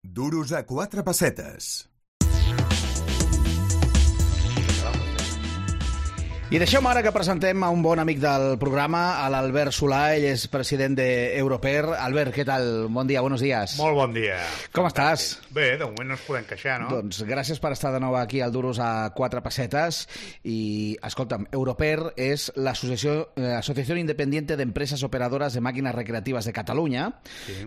Duros a quatre pessetes. I deixeu-me ara que presentem a un bon amic del programa, a l'Albert Solà. Ell és president d'Europer. Albert, què tal? Bon dia, buenos días. Molt bon dia. Com estàs? Bé, de moment no ens podem queixar, no? Doncs gràcies per estar de nou aquí al Duros a quatre pessetes. I, escolta'm, Europer és l'Associació Independiente d'Empreses Operadores de Màquines Recreatives de Catalunya,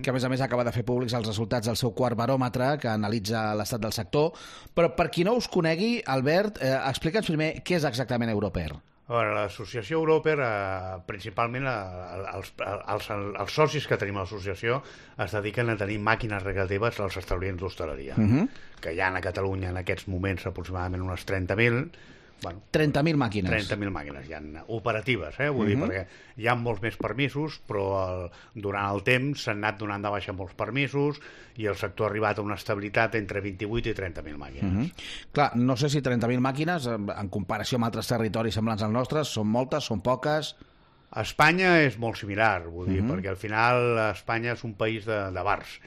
que a més acaba de fer públics els resultats del seu quart baròmetre, que analitza l'estat del sector. Però per qui no us conegui, Albert, explica'ns primer què és exactament Europer. A veure, l'associació Europer, principalment els socis que tenim a l'associació es dediquen a tenir màquines recreatives als establiments d'hostaleria, que hi ha a Catalunya en aquests moments aproximadament unes 30.000. Bueno, 30.000 màquines. 30.000 màquines, hi ha operatives, vull dir, perquè hi ha molts més permisos, però durant el temps s'han anat donant de baixa molts permisos i el sector ha arribat a una estabilitat entre 28 i 30.000 màquines. Clar, no sé si 30.000 màquines, en comparació amb altres territoris semblants als nostres, són moltes, són poques... A Espanya és molt similar, vull dir, perquè al final Espanya és un país de bars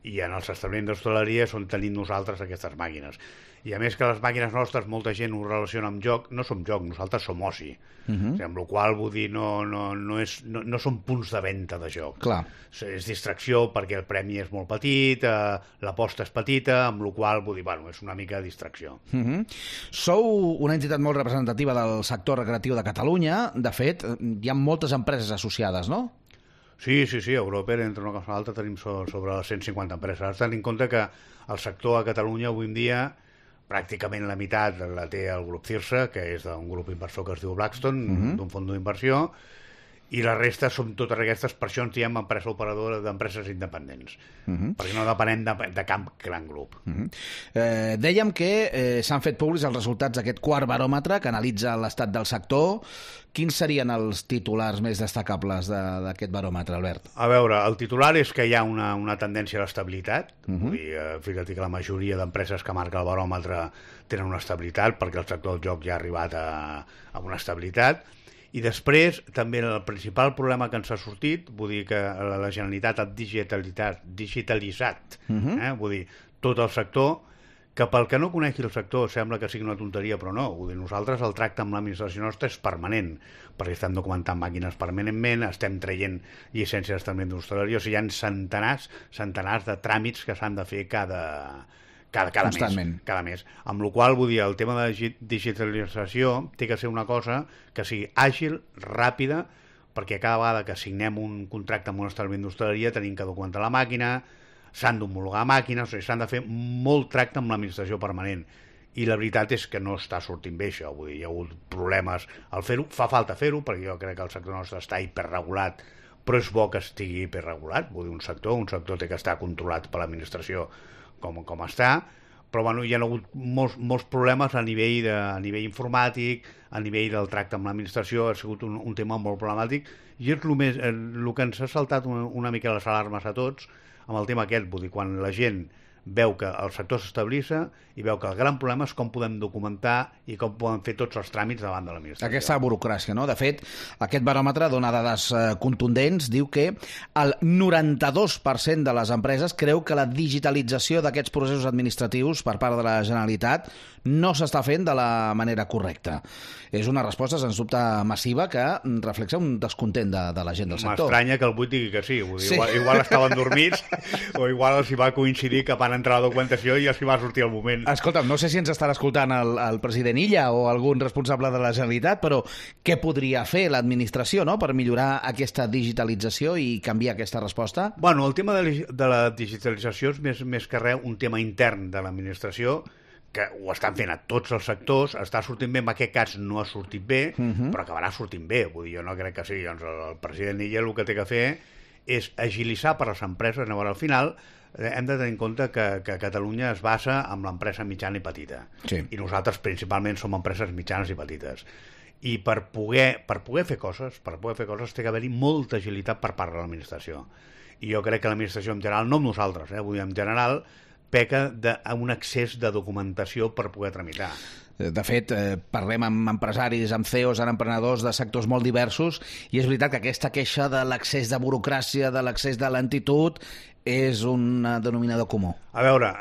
i en els establiments d'hostaleria és on tenim nosaltres aquestes màquines. I a més que les màquines nostres, molta gent ho relaciona amb joc, no som joc, nosaltres som oci. Amb la qual vull dir, no són punts de venda de joc. Clar. És distracció perquè el premi és molt petit, l'aposta és petita, amb la qual vull dir, bueno, és una mica de distracció. Sou una entitat molt representativa del sector recreatiu de Catalunya. De fet, hi ha moltes empreses associades, no? Sí, Europer, entre una cosa i l'altra, tenim sobre les 150 empreses. Has de tenir en compte que el sector a Catalunya avui en dia pràcticament la meitat la té el grup Cirsa, que és d'un grup inversor que es diu Blackstone, d'un fons d'inversió, i la resta són totes aquestes, per això ens diem empresa operadora d'empreses independents, perquè no depenem de cap gran grup. Dèiem que s'han fet públics els resultats d'aquest quart baròmetre que analitza l'estat del sector. Quins serien els titulars més destacables d'aquest baròmetre, Albert? A veure, el titular és que hi ha una tendència a l'estabilitat. Vull dir, fíjate que la majoria d'empreses que marca el baròmetre tenen una estabilitat, perquè el sector del joc ja ha arribat a una estabilitat. I després, també el principal problema que ens ha sortit, vull dir que la Generalitat ha digitalitzat, vull dir, tot el sector, que pel que no conegui el sector sembla que sigui una tonteria, però no. Vull dir, nosaltres el tracte amb l'administració nostra és permanent, perquè estem documentant màquines permanentment, estem traient llicències d'establiment d'hostaleria, o sigui, hi ha centenars de tràmits que s'han de fer cada mes. Amb la qual, vull dir, el tema de digitalització té que ser una cosa que sigui àgil, ràpida, perquè cada vegada que signem un contracte amb un establiment d'hostaleria tenim que documentar la màquina, s'han d'homologar màquines, o sigui, s'han de fer molt tracte amb l'administració permanent. I la veritat és que no està sortint bé això, vull dir, hi ha hagut problemes al fer-ho, fa falta fer-ho, perquè jo crec que el sector nostre està hiperregulat, però és bo que estigui hiperregulat, vull dir, un sector té que estar controlat per l'administració com està, però bueno, hi ha hagut molts problemes a nivell informàtic, a nivell del tracte amb l'administració, ha sigut un tema molt problemàtic, i és el que ens ha saltat una mica les alarmes a tots amb el tema aquest, vull dir, quan la gent veu que el sector s'estabilitza i veu que el gran problema és com podem documentar i com podem fer tots els tràmits davant de l'administració. Aquesta burocràcia, no? De fet, aquest baròmetre dona dades contundents, diu que el 92% de les empreses creu que la digitalització d'aquests processos administratius per part de la Generalitat no s'està fent de la manera correcta. És una resposta, sens dubte, massiva que reflexa un descontent de la gent del sector. M'estranya que el Buit digui que sí. Vull dir, igual estaven dormits o igual els hi va coincidir que van entrar a la documentació i els hi va sortir el moment. Escolta'm, no sé si ens estarà escoltant el president Illa o algun responsable de la Generalitat, però què podria fer l'administració, no?, per millorar aquesta digitalització i canviar aquesta resposta? Bueno, el tema de la digitalització és més que res un tema intern de l'administració, que ho estan fent a tots els sectors, està sortint bé, en aquest cas no ha sortit bé, però acabarà sortint bé. Vull dir, jo no crec que sigui. Doncs el president Illa el que té que fer és agilitzar per a les empreses. Llavors, al final, hem de tenir en compte que Catalunya es basa en l'empresa mitjana i petita. Sí. I nosaltres principalment som empreses mitjanes i petites. I per poder fer coses té que haver-hi molta agilitat per part de l'administració. I jo crec que l'administració en general, no amb nosaltres, vull dir, en general, peca d'un excés de documentació per poder tramitar. De fet, parlem amb empresaris, amb CEOs, amb emprenedors de sectors molt diversos, i és veritat que aquesta queixa de l'excés de burocràcia, de l'excés de lentitud, és un denominador comú. A veure,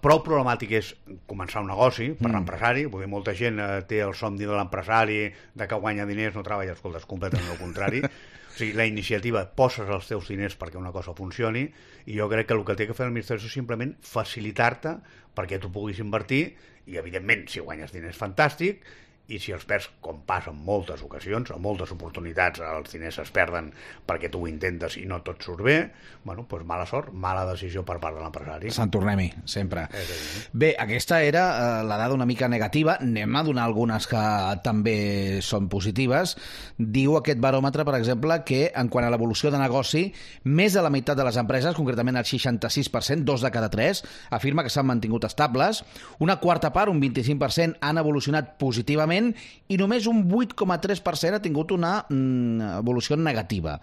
prou problemàtic és començar un negoci per l'empresari, vull dir, molta gent té el somni de l'empresari, de que guanya diners, no treballa, escolta, és completament el contrari. O sigui, la iniciativa, poses els teus diners perquè una cosa funcioni, i jo crec que el que té que fer l'administració és simplement facilitar-te perquè tu puguis invertir, i evidentment, si guanyes diners, fantàstic, i si els perds, com passa en moltes ocasions, en moltes oportunitats els diners es perden perquè tu ho intentes i no tot surt bé, bueno, doncs mala sort, mala decisió per part de l'empresari. Sant tornem-hi, sempre. Bé, aquesta era la dada una mica negativa, anem a donar algunes que també són positives. Diu aquest baròmetre, per exemple, que en quant a l'evolució de negoci, més de la meitat de les empreses, concretament el 66%, 2 de cada 3, afirma que s'han mantingut estables, una quarta part, un 25%, han evolucionat positivament, i només un 8,3% ha tingut una evolució negativa.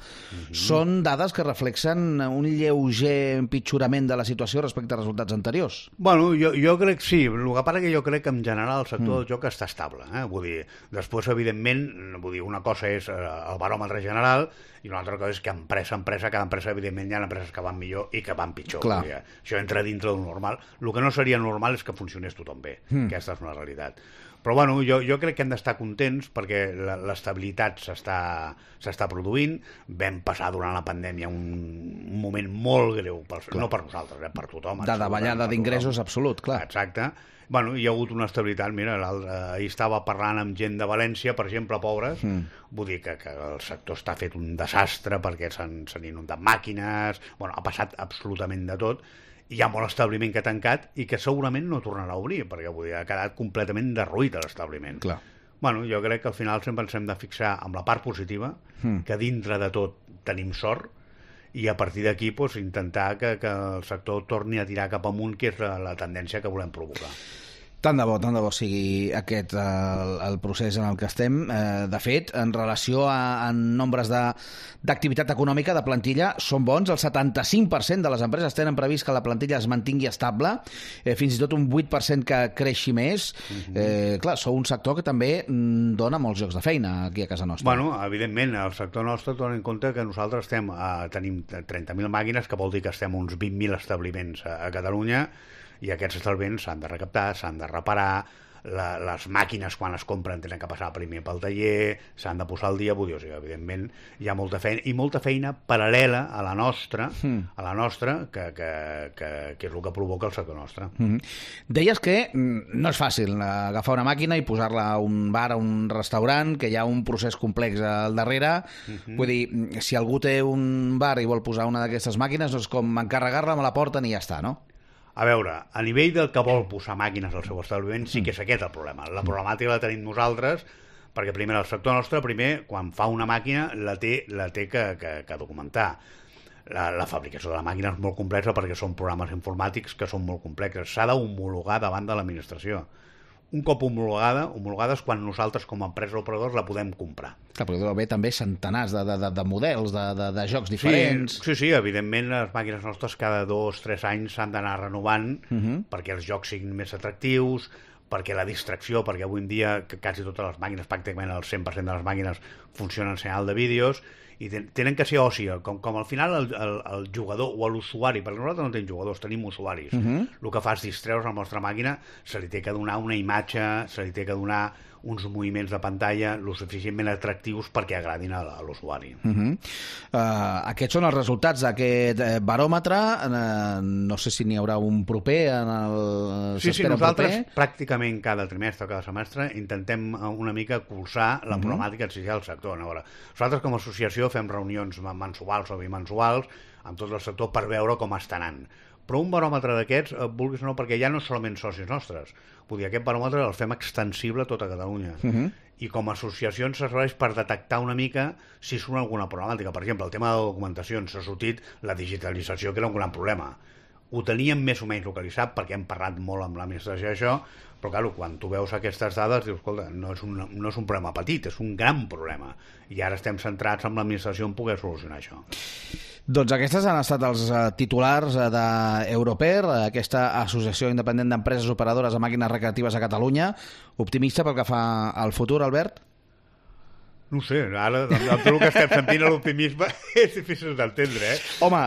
Són dades que reflexen un lleuger empitjorament de la situació respecte als resultats anteriors. Bueno, jo crec que sí. El que passa que jo crec que en general el sector del joc està estable. Vull dir, després, evidentment, vull dir, una cosa és el baròmetre general i una altra cosa és que empresa a empresa, cada empresa, evidentment, hi ha empreses que van millor i que van pitjor. Dir, això entra dintre del normal. El que no seria normal és que funcionés tothom bé. Aquesta és una realitat. Però bueno, jo crec que hem d'estar contents perquè l'estabilitat s'està produint. Vam passar durant la pandèmia un moment molt greu, no per nosaltres, per tothom. De davallada d'ingressos absolut, clar. Exacte. Bueno, hi ha hagut una estabilitat. Mira, ahir estava parlant amb gent de València, per exemple, pobres. Vull dir que el sector està fet un desastre perquè s'han inundat màquines, bueno, ha passat absolutament de tot. Hi ha molt establiment que ha tancat i que segurament no tornarà a obrir, perquè vull dir, ha quedat completament derruït l'establiment. Bueno, jo crec que al final sempre ens hem de fixar amb la part positiva, que dintre de tot tenim sort, i a partir d'aquí doncs, intentar que el sector torni a tirar cap amunt, que és la tendència que volem provocar. Tant de bo sigui aquest el procés en el que estem. De fet, en relació a nombres d'activitat econòmica, de plantilla, són bons. El 75% de les empreses tenen previst que la plantilla es mantingui estable, fins i tot un 8% que creixi més. Clar, sou un sector que també dona molts llocs de feina aquí a casa nostra. Bueno, evidentment, el sector nostre dona en compte que nosaltres tenim 30.000 màquines, que vol dir que estem uns 20.000 establiments a Catalunya, i aquests establiments s'han de recaptar, s'han de reparar, les màquines quan es compren tenen que passar primer pel taller, s'han de posar al dia, vull dir, o sigui, evidentment hi ha molta feina, i molta feina paral·lela a la nostra, que és el que provoca el sector nostre. Deies que no és fàcil agafar una màquina i posar-la a un bar, a un restaurant, que hi ha un procés complex al darrere. Vull dir, si algú té un bar i vol posar una d'aquestes màquines, no és com encarregar-la, me la porten i ja està, no? A veure, a nivell del que vol posar màquines al seu establiment, sí que és aquest el problema. La problemàtica la tenim nosaltres, perquè primer el sector nostre, quan fa una màquina, la té que documentar. La fabricació de la màquina és molt complexa perquè són programes informàtics que són molt complexes. S'ha d'homologar davant de l'administració. Un cop homologada és quan nosaltres com a empresa operadors la podem comprar. Clar, però deu haver també centenars de models, de jocs diferents. Sí, evidentment les màquines nostres cada 2-3 anys s'han d'anar renovant perquè els jocs siguin més atractius, perquè la distracció, perquè avui en dia quasi totes les màquines, pràcticament el 100% de les màquines funcionen en senyal de vídeos, i tenen que ser oci, com al final el jugador o l'usuari, perquè nosaltres no tenim jugadors, tenim usuaris. El que fa és distreure's amb la nostra màquina, se li té que donar una imatge, se li té que donar uns moviments de pantalla lo suficientment atractius perquè agradin a l'usuari. Aquests són els resultats d'aquest baròmetre. No sé si n'hi haurà un proper en el... Sí, nosaltres pràcticament cada trimestre o cada semestre intentem una mica cursar la problemàtica que existeix al sector. Nosaltres com a associació fem reunions mensuals o bimensuals amb tot el sector per veure com està anant. Però un baròmetre d'aquests, vulguis o no, perquè ja no solament socis nostres. Vull dir, aquest baròmetre el fem extensible a tota Catalunya. I com a associació ens serveix per detectar una mica si surt alguna problemàtica. Per exemple, el tema de la documentació, s'ha sortit la digitalització, que era un gran problema. ho teníem més o menys localitzat perquè hem parlat molt amb l'administració d'això, però clar, quan tu veus aquestes dades dius, escolta, no és un problema petit, és un gran problema, i ara estem centrats en l'administració en poder solucionar això. Doncs aquestes han estat els titulars d'Europer, aquesta associació independent d'empreses operadores de màquines recreatives a Catalunya. Optimista pel que fa al futur, Albert? No sé, ara, amb tot el que estem sentint, l'optimisme és difícil d'entendre, Home,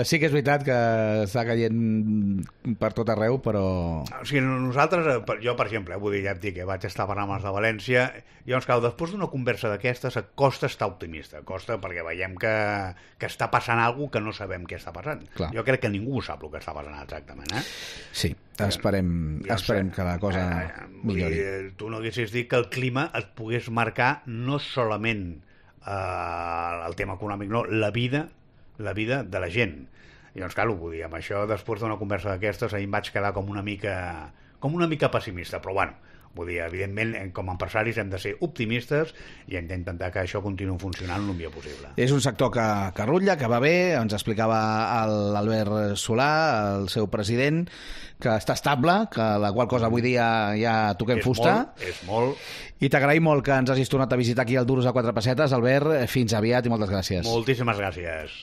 sí que és veritat que està caient per tot arreu, però... O sigui, nosaltres, jo, per exemple, vull dir, ja et dic que vaig estar parlant amb els de València, llavors, clar, després d'una conversa d'aquestes, costa estar optimista, costa perquè veiem que està passant alguna cosa que no sabem què està passant. Clar. Jo crec que ningú sap el que està passant exactament, Sí, esperem que la cosa millori. Tu no haguessis dit que el clima et pogués marcar no solament el tema econòmic, no, la vida de la gent. I doncs, clar, vull dir, amb això, després d'una conversa d'aquestes, ahir em vaig quedar com una mica pessimista, però bueno, vull dir, evidentment, com a empresaris hem de ser optimistes i hem d'intentar que això continuï funcionant el millor possible. És un sector que rutlla, que va bé, ens explicava l'Albert Solà, el seu president, que està estable, que la qual cosa avui dia ja toquem fusta. És molt. I t'agraïm molt que ens hagis tornat a visitar aquí al Duros a 4 pessetes, Albert. Fins aviat i moltes gràcies. Moltíssimes gràcies.